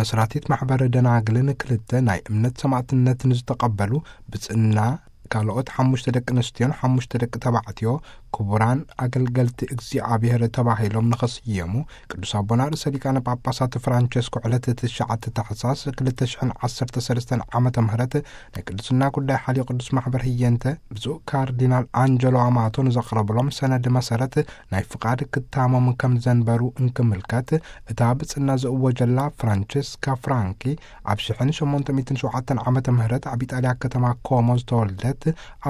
መስራቲት ማሕበረ ደናግልን ክልተ ናይ እምነት ሰማዕትነትን ዝተቐበሉ ብጽና ካልኦት ሓሙሽተ ደቂ ኣንስትዮን ሓሙሽተ ደቂ ተባዕትዮ ክቡራን ኣገልገልቲ እግዚኣብሔር ተባሂሎም ንኸስየሙ ቅዱስ ኣቦና ርእሰ ሊቃነ ጳጳሳት ፍራንቸስኮ ዕለት ትሽዓተ ታሕሳስ ክልተ ሽሕን ዓሰርተ ሰለስተን ዓመተ ምህረት ናይ ቅድስና ጉዳይ ሓልዮ ቅዱስ ማሕበር ህየንተ ብፁዕ ካርዲናል ኣንጀሎ ኣማቶ ንዘቕረብሎም ሰነድ መሰረት ናይ ፍቓድ ክታሞም ከም ዘንበሩ እንክምልከት፣ እታ ብጽና ዝእወጀላ ፍራንቸስካ ፍራንኪ ኣብ ሽሕን ሸሞንተ ሚእትን ሸውዓተን ዓመተ ምህረት ኣብ ኢጣልያ ከተማ ኮሞ ዝተወልደት፣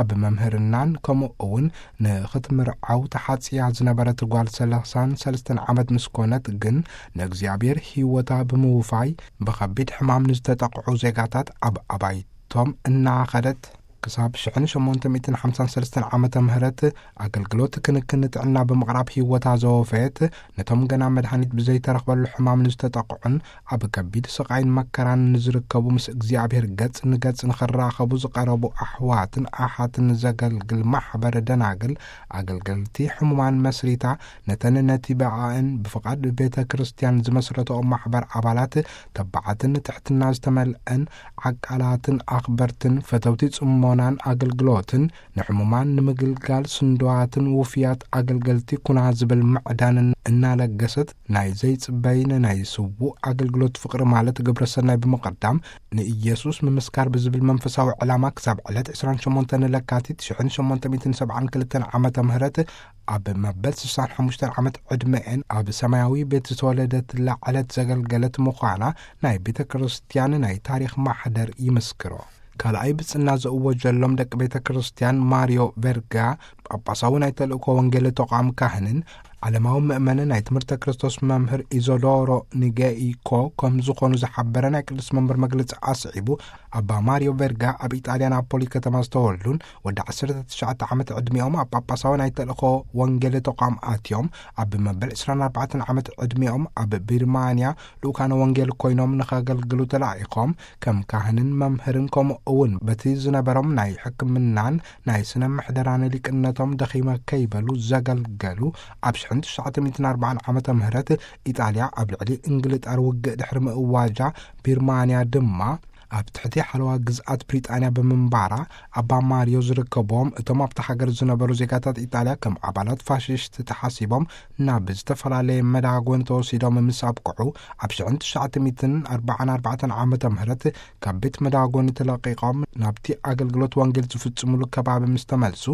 ኣብ መምህርናን ከምኡ እውን ንኽትምርዓው ተሓጽያ ዝነበረት ጓል ሰላሳን ሰለስተን ዓመት ምስ ኮነት ግን ንእግዚኣብሔር ህይወታ ብምውፋይ ብኸቢድ ሕማም ንዝተጠቕዑ ዜጋታት ኣብ ኣባይቶም እናኸደት ክሳብ ሽሕን ሸሞንተ ሚእትን ሓምሳን ሰለስተን ዓመተ ምህረት ኣገልግሎት ክንክን ጥዕና ብምቕራብ ህይወታ ዘወፈየት፣ ነቶም ገና መድሃኒት ብዘይተረኽበሉ ሕማም ንዝተጠቕዑን ኣብ ከቢድ ስቓይን መከራን ንዝርከቡ ምስ እግዚኣብሔር ገጽ ንገጽ ንኽራኸቡ ዝቐረቡ ኣሕዋትን ኣሓትን ዘገልግል ማሕበር ደናግል ኣገልገልቲ ሕሙማን መስሪታ ነተን ነቲ ብኣእን ብፍቓድ ቤተ ክርስቲያን ዝመስረተኦ ማሕበር ኣባላት ተባዓትን ትሕትና ዝተመልአን ዓቃላትን ኣኽበርትን ፈተውቲ ጽሞናን ኣገልግሎትን ንሕሙማን ንምግልጋል ስንድዋትን ውፍያት ኣገልገልቲ ኩና ዝብል ምዕዳንን እናለገሰት ናይ ዘይጽበይ ንናይ ስዉእ ኣገልግሎት ፍቕሪ ማለት ግብረ ሰናይ ብምቕዳም ንኢየሱስ ምምስካር ብዝብል መንፈሳዊ ዕላማ ክሳብ ዕለት ዕስራን ሸሞንተን ለካቲት ሽሕን ሸሞንተ ሚእትን ሰብዓን ክልተን ዓመተ ምህረት ኣብ መበል ስሳን ሓሙሽተን ዓመት ዕድመኤን ኣብ ሰማያዊ ቤት ዝተወለደትላ ዕለት ዘገልገለት ምዃና ናይ ቤተ ክርስቲያን ናይ ታሪኽ ማሕደር ይምስክሮ። ካልኣይ ብጽና ዘእወጀሎም ደቂ ቤተ ክርስቲያን ማሪዮ ቬርጋ ጳጳሳዊ ናይ ተልእኮ ወንጌል ተቋም ካህንን ዓለማዊ ምእመን ናይ ትምህርተ ክርስቶስ መምህር ኢዞዶሮ ንጌኢኮ ከም ዝኾኑ ዝሓበረ ናይ ቅዱስ መንበር መግለጺ ኣስዒቡ፣ ኣባ ማሪዮ ቬርጋ ኣብ ኢጣልያ ናፖሊ ከተማ ዝተወልዱን ወዲ ዓሰርተ ትሽዓተ ዓመት ዕድሚኦም ኣብ ጳጳሳዊ ናይ ተልእኮ ወንጌል ተቋም ኣትዮም ኣብ መበል ዕስራን ኣርባዕተን ዓመት ዕድሚኦም ኣብ ቢርማንያ ልኡካነ ወንጌል ኮይኖም ንኸገልግሉ ተላኢኾም ከም ካህንን መምህርን ከምኡ እውን በቲ ዝነበሮም ናይ ሕክምናን ናይ ስነ ምሕደራን ሊቅነቶም ደኺመ ከይበሉ ዘገልገሉ ኣብ ሽሕን ትሽዓተ ሚእትን ኣርባዓን ዓመተ ምህረት ኢጣልያ ኣብ ልዕሊ እንግልጣር ውግእ ድሕሪ ምእዋጃ ቢርማንያ ድማ ኣብ ትሕቲ ሓለዋ ግዝኣት ብሪጣንያ ብምንባራ ኣባ ማሪዮ ዝርከብዎም እቶም ኣብታ ሃገር ዝነበሩ ዜጋታት ኢጣልያ ከም ኣባላት ፋሽስት ተሓሲቦም ናብ ዝተፈላለየ መዳጎን ተወሲዶም ምስ ኣብቅዑ ኣብ ሽሕን ትሽዓተ ሚእትን ኣርባዓን ኣርባዕተን ዓመተ ምህረት ካብ ቤት መዳጎን ተለቂቖም ናብቲ ኣገልግሎት ወንጌል ዝፍጽሙሉ ከባቢ ምስ ተመልሱ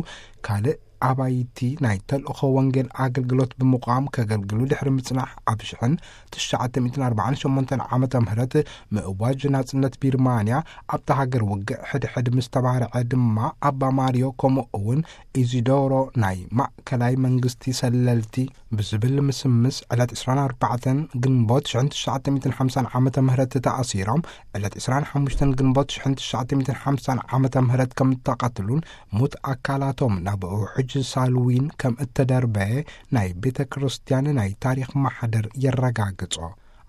ካልእ ኣባይቲ ናይ ተልእኾ ወንጌል ኣገልግሎት ብምቋም ከገልግሉ ድሕሪ ምጽናሕ ኣብ ሽሕን ትሽዓተ ሚእትን ኣርባዓን ሸሞንተን ዓመተ ምህረት ምእዋጅ ናጽነት ቢርማንያ ኣብታ ሃገር ውግእ ሕድሕድ ምስ ተባርዐ ድማ ኣባ ማሪዮ ከምኡ እውን ኢዚዶሮ ናይ ማእከላይ መንግስቲ ሰለልቲ ብዝብል ምስምስ ዕለት ዕስራን ኣርባዕተን ግንቦት ሽሕን ትሽዓተ ሚእትን ሓምሳን ዓመተ ምህረት ተኣሲሮም ዕለት ዕስራን ሓሙሽተን ግንቦት ሽሕን ትሽዓተ ሚእትን ሓምሳን ዓመተ ምህረት ከም እተቐትሉን ሙት ኣካላቶም ናብ ውሕጅ ሳልዊን ከም እተደርበየ ናይ ቤተ ክርስቲያን ናይ ታሪኽ ማሕደር የረጋግጾ።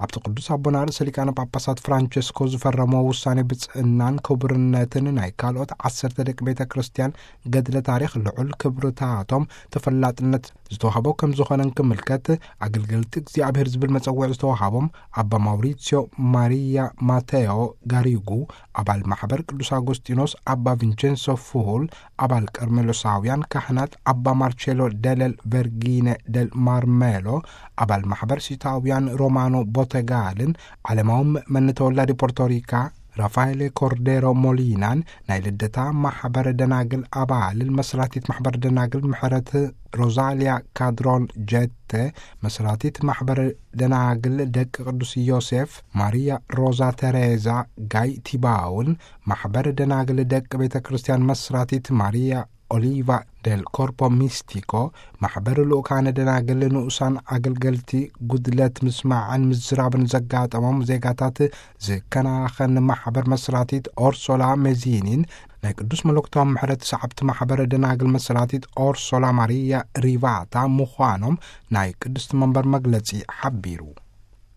ኣብቲ ቅዱስ ኣቦና ርእሰ ሊቃነ ጳጳሳት ፍራንቸስኮ ዝፈረሞ ውሳኔ ብጽእናን ክቡርነትን ናይ ካልኦት ዓሰርተ ደቂ ቤተ ክርስቲያን ገድለ ታሪኽ ልዑል ክብርታቶም ተፈላጥነት ዝተዋህቦ ከም ዝኾነ እንክምልከት ኣገልገልቲ እግዚኣብሔር ዝብል መጸውዒ ዝተዋሃቦም ኣባ ማውሪሲዮ ማሪያ ማቴዮ ጋሪጉ ኣባል ማሕበር ቅዱስ ኣጎስጢኖስ፣ ኣባ ቪንቸንሶ ፍሁል ኣባል ቀርሜሎሳውያን ካህናት፣ ኣባ ማርቼሎ ደለል ቨርጊነ ደል ማርሜሎ ኣባል ማሕበር ሲታውያን ሮማኖ ቦተጋልን ዓለማዊ ምእመን ተወላዲ ፖርቶሪካ ራፋኤሌ ኮርዴሮ ሞሊናን ናይ ልደታ ማሕበረ ደናግል ኣባልን መስራቲት ማሕበረ ደናግል ምሕረት ሮዛሊያ ካድሮን ጀተ መስራቲት ማሕበረ ደናግል ደቂ ቅዱስ ዮሴፍ ማሪያ ሮዛ ተሬዛ ጋይ ቲባውን ማሕበረ ደናግል ደቂ ቤተ ክርስቲያን መስራቲት ማሪያ ኦሊቫ ደል ኮርፖ ሚስቲኮ ማሕበር ልኡካነ ደናግል ንኡሳን ኣገልገልቲ ጉድለት ምስማዕን ምዝራብን ዘጋጠሞም ዜጋታት ዝከናኸን ማሕበር መስራቲት ኦርሶላ ሜዚኒን ናይ ቅዱስ መለኮታዊ ምሕረት ሰዓብቲ ማሕበር ደናግል መስራቲት ኦርሶላ ማሪያ ሪቫታ ምዃኖም ናይ ቅድስቲ መንበር መግለጺ ሓቢሩ።